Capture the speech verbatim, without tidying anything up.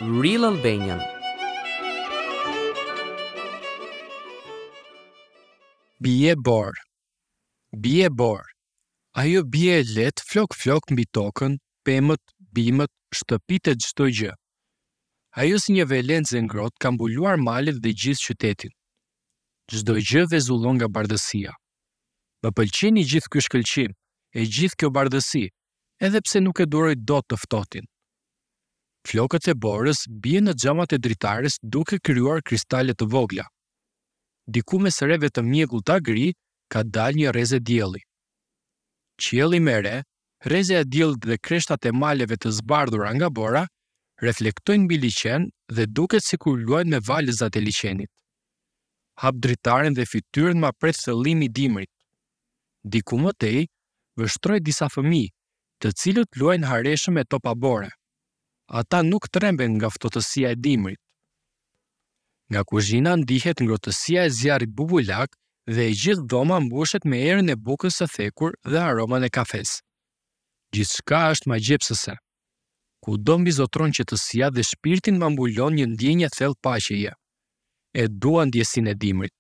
Real Albanian. Bie borë. Bie borë. Ajo bie e lehtë flok-flok mbi tokën, pemët, bimët, shtëpitë e çdo gjë. Ajo si një velencë e ngrohtë ka mbuluar malet dhe gjithë qytetin. Çdo gjë vezullon nga bardhësia. Më pëlqen i gjithë ky shkëlqim, e gjithë kjo bardhësi, edhe pse nuk e duroj dot të ftohtin. Flokët e borës bien në xhamat e dritares duke krijuar kristale të vogla. Diku mes reve të mjegullta gri ka dalë një rreze dielli. Qielli me re, rrezja e diellit dhe kreshtat e maleve të zbardhura nga bora reflektojnë mbi liqen dhe duket sikur luajnë me valëzat e liqenit. Hap dritaren dhe fytyrën ma pret thëllimi i dimrit. Diku më tej, vështroj disa fëmijë, të cilët luajnë hareshëm me topa bore. Ata nuk tremben nga ftohtësia e dimrit. Nga kuzhina ndihet ngrohtësia e zjarrit bubulak dhe e gjithë dhoma mbushet me erën e bukës së thekur dhe aromën e kafes. Gjithçka është magjepsëse. Kudo mbizotron qetësia dhe shpirtin ma mbulon një ndjenjë e thellë paqeje. E dua ndjesinë e dimrit.